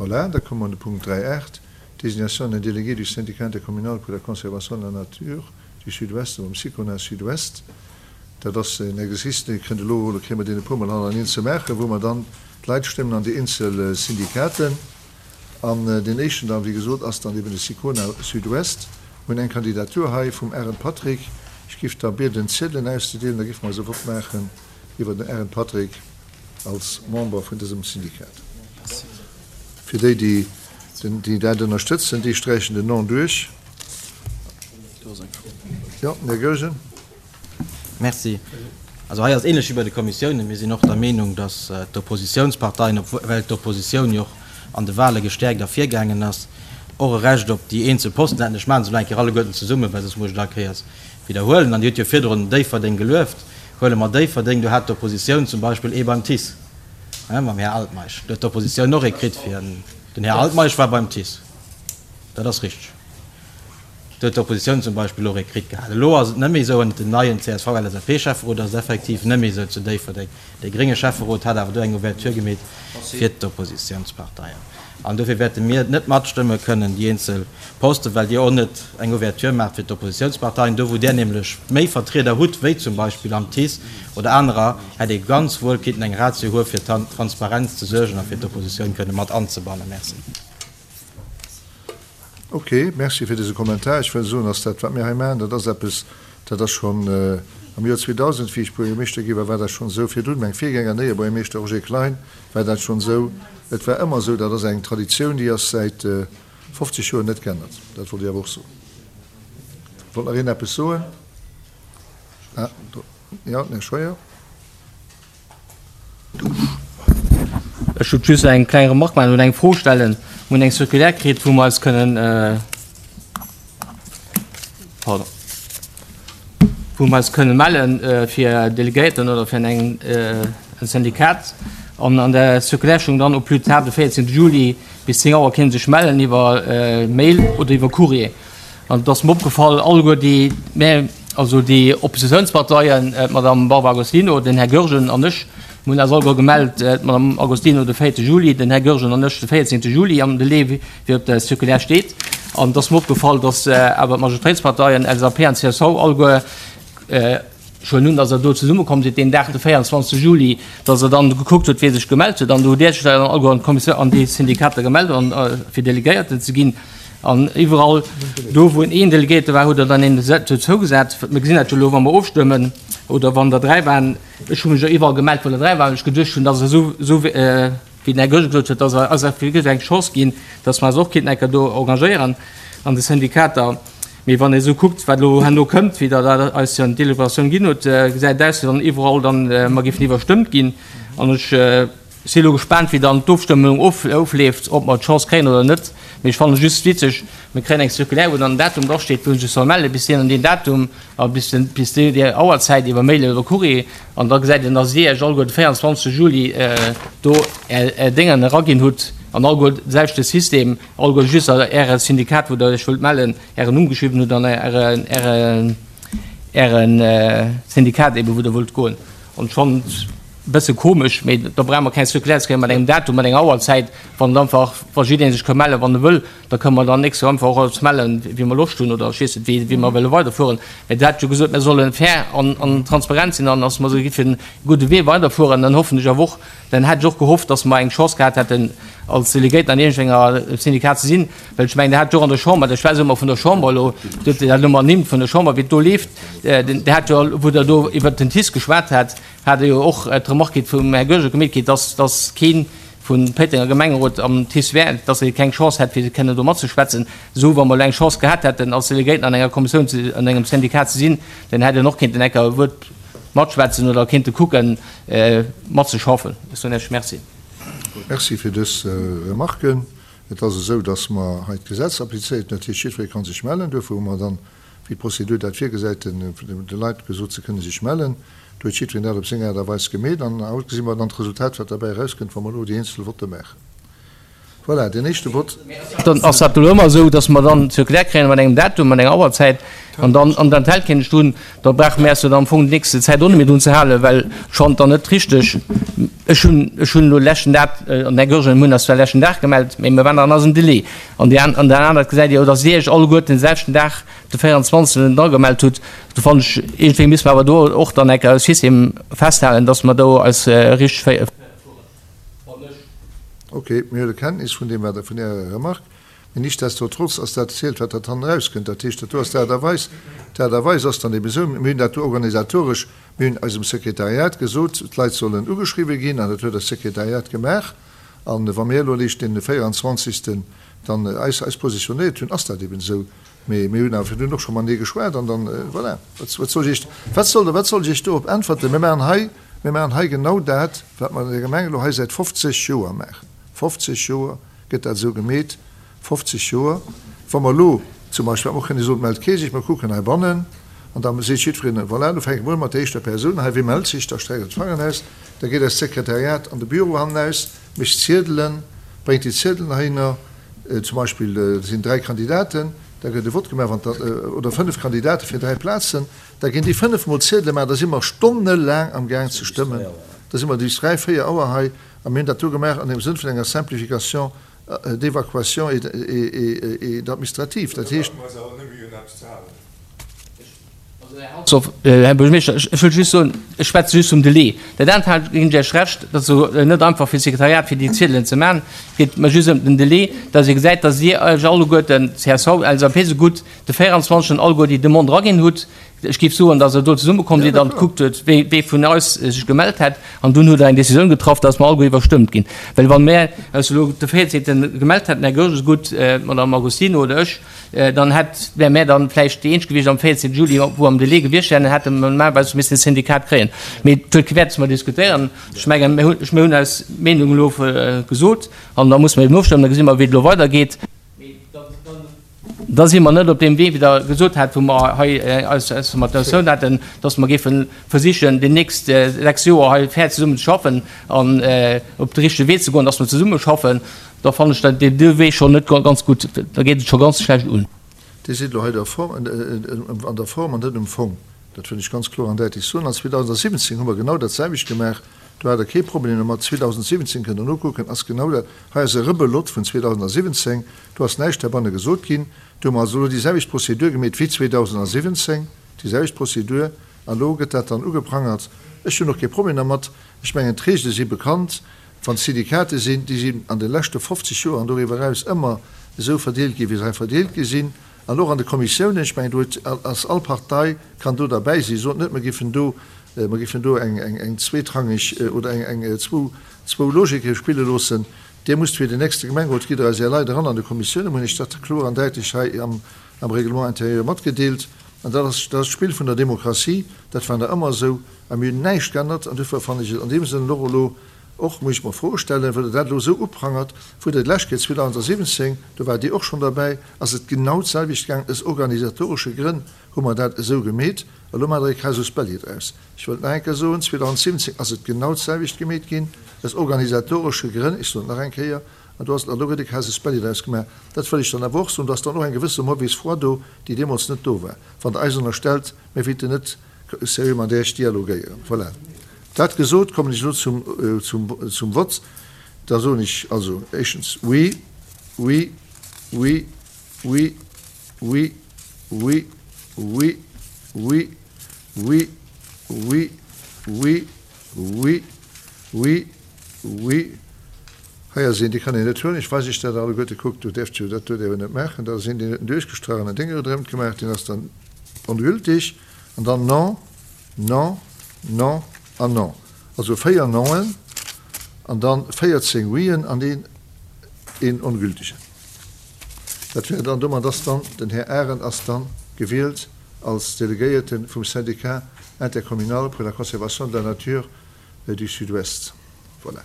Voilà, da komme mer un de Punkt 3.8, Désignation d'un délégué du syndicat intercommunal pour la conservation de la nature du Sud-Ouest um Sicona Sud-Ouest. Dat ass en Exercice, dee kënnt elo, oder kréie mer deen e puermol hannerteneen ze maachen, wou mer dann d'Leit stëmmen an déi eenzel Syndikaten. An deen éischten dann, wéi gesot, ass dann eben de Sicona Sud-Ouest. Mir hunn eng Kandidatur hei vum Arendt Patrick. Ech géif da bieden, d'Ziedelen auszedeelen, da géife mer eis e Vott maachen iwwer den Arendt Patrick als Member vun dësem Syndikat. Fir déi, déi dat ënnerstëtzen, déi sträichen den Non duerch. Jo, den Här Goergen. Merci. Also hei ass ähnlech wéi bei de Kommissiounen. Mir sinn och der Meenung, dass d'Oppositionsparteien, obwuel d'Oppositioun jo och an de Wahle gestärkt ervirgaangen ass, och e Recht op déi eenzel Posten hätten. Ech maachen se elo eng Kéier alleguerten zesummen, well soss muss ech et all Kéiers widderhuelen. An Dir hutt jo virdrun Déifferdeng gelueft. Huele mer Déifferdeng, do hat d'Oppositioun zum Beispill ee beim TICE, mam Här Altmeisch. Do huet d'Oppositioun och ee kritt fir, den Här Altmeisch war beim TICE, dat ass richteg. Do huet d'Oppositioun zum Beispill och ee kritt gehat. Elo ass et net méi esou, ënnert dem neien CSV-LSAP-Schäfferot ass et effektiv net méi esou zu Déifferdeng. Dee grénge Schäfferot hat awer do eng Ouverture gemeet fir d'Oppositiounsparteien. An dofir wäerte mir net matstëmme kënnen, déi eenzel Posten, well Dir och net eng Ouverture maacht fir d'Oppositiounsparteien. Do wou Där nämlech méi Vertrieder hutt, wéi zum Beispill am TICE oder anerer, hätt ee ganz wuel kinnten eng Ratio hu fir Transparenz ze suergen a fir d'Oppositioun kënne mat anzebannen. Merci. Ok, merci fir dëse Kommentar. Ech wëll soen, dass dat, wat mir hei maachen, dat ass eppes, dat ass schonn am Joer 2000, wéi ech Buergermeeschter gi war, war dat schonn esou. Virdrun, meng Virgänger, den Éiebuergermeeschter Roger Klein, war dat schonn esou. Et war ëmmer esou. Dat ass eng Traditioun, déi ass säit 50 Joer net geännert. Dat wollt ech awer och soen. Wollt nach een eppes soen? Ah, do, jo, den Här Scheuer. Ech wollt just eng kleng Remarque maachen oder eng Fro stellen. Mir hunn eng Circulaire kritt, wou mer eis kënnen, pardon, wou mer eis kënnen mellen fir Delegéierten oder fir an engem Syndikat. An an der Circulaire stoung dann, au plus tard de 14 Juli bis 10 Auer kéint ee sech mellen iwwer Mail oder iwwer Courrier. An et ass mer opgefall, alleguer déi, mä also déi Oppositionsparteien, d'Madame Barbara Agostino, den Här Goergen an ech, mir hunn eis alleguer gemellt, d'Madame Agostino de 4 Juli, den Här Goergen an ech de 14 Juli am Delai, wéi op der Circulaire steet. An et ass mer opgefall, datt awer d'Majoritéitsparteien, LSAP an csv, alleguer, Ech huelen un, datt Der do zesummekomm sidd deen Dag, de 24. Juli, datt Der dann gekuckt hutt, wie sech gemellt huet. An do hutt Dir Iech dann alleguer an d'Kommissioun, an déi Syndikater gemellt, an fir Delegéierten ze ginn. An iwwerall do, wou een Delegéierte war, hutt Der dann een dozougesat. Mir gesinn dat jo elo, wa mer ofstëmmen oder wann der dräi waren. Ech hu mech jo iwwerall gemellt, wou der dräi waren, well ech geduecht hunn, datt esou, esou wéi den Här Goergen gesot huet, datt eis wierklech eng Chance ginn, datt mer eis och kéinten eng Kéier do engagéieren an de Syndikater. Mee wann ee sou kuckt, wat elo herno kënnt, wéi Der dat eis jo an d'Deliberatioun ginn hutt, gesäit et aus, wéi wann iwwerall dann mer géifen iwwerstëmmt ginn. An ech si elo gespaant, wéi dann d'Ofstëmmung ofleeft, ob mer d'Chance kréien oder net. Mee ech fannen et just witzeg, mir kréien eng Circulaire, wou dann en Datum drasteet, wou ee sech soll melle bis deen an deen Datum a bis den, bis déi déi Auerzäit iwwer Mail oder Courrier. An da gesäit een, dass Dir Iech alleguer de 24 Juli do Är Déngen eraginn hutt an alleguer de selwechte System. Alleguer just Äre Syndikat, wou Der Iech wëllt mellen, Ären Numm geschriwwen hutt an Äre, Äre Syndikat eeben, wou Der wëllt goen. An ech fannen et e bësse komesch, mee da brauche mer keng Circulaire ze kréien mat engem Datum, mat enger Auerzäit, wann et einfach, wa jidderee sech ka mellen, wann e wëll, da kënne mer dann nächst Joer einfach och eis mellen, wéi mer Loscht hunn oder ech weess net, wéi, wéi mer wëlle weiderfueren. Mee Der hat jo gesot, mir solle fair an, an transparent sinn an dass mer esou géifen e gudde Wee weiderfueren. Dann hoffen ech awer och, Dann hätt ech och gehofft, dass mer eng Chance gehat hätten, als Delegéierten an iergendenger Syndikat ze sinn, well ech mengen, Der hat jo och an der Chamber, ech schwätze ëmmer vun der Chamber elo, Dir hutt dat elo mol ernimmt vun der Chamber, wéi et do leeft, Der hat jo, wou Der do iwwert den TICE geschwat hat, hat Der jo och d'Remarque kritt vum Här Goergen gemeet kritt, dass, dass kee vum Péitenger Gemengerot am TICE wär, dass e keng Chance hätt, fir kënnen do matzeschwätzen. Esou, wa mer elo eng Chance gehat hätten, als Delegéierten an enger Kommissioun, an engem Syndikat ze sinn, dann hätt en och kéinten enker e Wuert matschwätzen oder kéinte kucken, matzeschaffen. Ech soen Iech Merci. Merci fir dës Remarken. Et ass esou, dass mer hei d'Gesetz applizéiert. Dat heescht, jiddweree ka sech mellen. Duerfir hu mer dann, wéi d'Prozedur dat virgesäit, de Leit gesot, se kënne sech mellen. Do huet jiddwereen dat op seng Aart a Weis gemeet. An haut gesi mer dann d'Resultat, wat derbäi erauskënnt, wa mer elo déi eenzel Votte maachen. Voilà, deen éischte Vott. Dann ass dat elo ëmmer esou, dass mer dann d'Circulaire kréien mat engem Datum, mat enger Auerzäit, an dann an den Tel kéint ech drun, da brauche mir eis jo dann am Fong déi nächste Zäit och net méi drun ze halen, well schonn dann net richteg. Ech hunn, ech hunn elo leschten Dag, an den Här Goergen, mir hunn eis zwar leschten Dag gemellt, mä mir waren nach an eisem Delai. An déi an, an der anert gesäit Dir jo, dass Dir Iech alleguerten den selwechten Dag, de 24. Agemellt hutt. Do fannen ech, iergendwéi misste mer awer do och dann eng Kéier e System festhalen, dass mer do eis richteg fueren. Ok, mir huele Kenntnis vun deem, wat Der, vun Ärer Remarque. Mee nichtsdestotrotz ass dat zielt, wat dat hannen erauskënnt. Dat heescht, dat do ass d'Aart a Weis. D'Aart a Weis ass dann ebe esou, mir hunn dat do organisatoresch, mir hunn eisem Sekretariat gesot, d'Leit sollen ugeschriwwen ginn, an dat huet eist Sekretariat gemaach. A wa mir elo eréischt den 24. dann eis, eis positionéiert hunn, ass dat eben esou. Mee mir hunn awer virdrun och scho matenee geschwat an dann, voilà, wat, wat soll ech Iech, wat soll, wat soll ech Iech dorop äntwerten? Mir maachen hei, mir maachen hei genau dat, wat mer an der Gemeng elo hei säit 50 Joer maachen. 50 Joer gëtt dat esou gemeet, 50 Joer. Wa mer elo zum Beispill, wat mer och kënne soen, et mellt kee sech, mer kucken heibannen an da seet jiddwereen, voilà, elo fänke mer un mat der éischter Persoun hei, wie mellt sech, da streckt en d'Fangeren aus, da geet eist Sekretariat an de Büro hannenaus, mécht Ziedelen, bréngt déi Ziedelen heihinner, Zum Beispill, et sinn 3 Kandidaten, da gëtt e Vott gemaach, wann da, oder 5 Kandidate fir 3 Plazen, da ginn déi 5 mol Ziedele gemaach, da si mer stonnelaang am Gaang ze stëmmen, da si mer bis 3, 4 Auer hei a mir hunn dat do gemaach an dem Sënn vun enger Simplification d'évacuation et, et, et administrative. Dat heescht. Här Buergermeeschter, ech wëll just soen, ech schwätze just vum Delai. Dat anert hat, ginn ech Iech Recht, dat ass elo net einfach fir d'Sekretariat, fir déi Ziedelen ze maachen. Et geet mer just ëm den Delai, dass ee gesäit, dass Dir Iech alleguerten, csv, LSAP sougutt, de 24. alleguer déi Demande eraginn hutt. Ech géif soen, dass Der do zesummekomm sidd an gekuckt hutt, wee wee vun eis sech gemellt hätt. An dunn hutt Der eng Décisioun getraff, dass mer alleguer iwwerstëmmt ginn. Well wa mir eis elo de 14. gemellt hätten, Här Goergen esougutt, d'Madame Agostino oder ech, Dann hätt, wäre mär dann vläicht déi eenzeg gewiescht am 14 Juli, wou am Delai gewiescht wären, dann hätte mer normalerweis missen e Syndikat kréien. Mee et huet kee Wäert, dass mer diskutéieren. Ech mengen, mir hunn, mir hunn eis Meenung elo gesot an da musse mer eben ofstëmmen, da gesi mer, wéi et elo weidergeet. Mee da, da si mer net op deem Wee, wéi Der gesot hat, wou mer hei eis, eis Formatioun haten, dass mer géife versichen, déi nächst 6 Joer hei fair zesummen ze schaffen an op de richtege Wee ze goen, dass mer zesumme schaffen. Da fannen ech dat dee Wee schonn net ganz gutt. Da geet et scho ganz schlecht un. Dir sidd elo hei der Form, an der Form an net um Fong. Dat wëll ech ganz kloer an däitlech soen. An 2017 hu mer genau dat selwecht gemaach. Do hat Der kee Problem domat. 2017 kënnt Der nokucken, ass genau dat. Hei ass e Rebelot vun 2017. Do ass näischt heibanne gesot ginn. Do hu mer also elo déi selwecht Prozedur gemeet wéi 2017, déi selwecht Prozedur. An elo gëtt dat dann ugeprangert. Ech hunn och kee Problem dermat. Ech mengen, d'Regele si bekannt. Wann d'Syndikate sinn, déi sinn an de leschte 50 Joer an doriwwer eraus ëmmer esou verdeelt ginn, wéi se hei verdeelt gi sinn, an och an de Kommissiounen, ech mengen, do huet, ass all Partei kann do derbäi sinn. Sot net, mer giffen do, mer giffen do eng, eng, eng zweetrangeg oder eng, eng zwou, zwou Logike spille loossen. Dir musst fir den nächste Gemengerot, gitt Der eis Är Leit eran an de Kommissiounen, hunn ech dat kloer an däitlech hei am, am Règlement intérieur matgedeelt. An dat ass, dat ass d'Spill vun der Demokratie, dat war nach ëmmer esou. A mir hunn näischt geännert. An duerfir fannen ech et an deem Sënn och elo och, muss ech mer Froe stellen, well Der dat elo esou uprangert, wou Der d'lescht Kéier 2017, do waart Dir och schonn derbäi, ass et genau d'selwecht gaangen. Aus organisatoresche Grënn hu mer dat esou gemeet. Elo maacht Der e Casus belli draus. Ech wëllt nach eng Kéier soen, 2017 ass et genau d'selwecht gemeet ginn, aus organisatoresche Grënn, ech soen et nach eng Kéier, an do ass, an do gëtt e Casus belli draus gemaach. Dat wëll ech dann awer och soen, do ass dann och eng gewësse mauvaise foi do, déi deemools net do war. Wann Der eis ënnerstellt, mir wéilten net seriö mat Iech dialogéieren. Voilà. Dat gesot, kommen ech elo zum, zum, zum Vott. Da soen ech also éischtens oui, oui, oui, oui, oui, oui, oui, oui, oui, oui, oui, oui, oui, oui. Hei ass een, dee kann een net huelen. Ech weis Iech dat alleguerte. Kuckt, do däerft jo, dat do däerf een net maachen. Da ass een, deen huet en duerchgestrach an en Déng ronderëmt gemaach, deen ass dann ongültig. An dann non, non, non an non. Also 4 Noen an dann 14 Wien an een, een ongültigen. Dat wär dann, domat ass dann den Här Arendt ass dann gewielt als Delegéierte vum Syndicat intercommunal pour la conservation de la nature du Sud-Ouest. Voilà.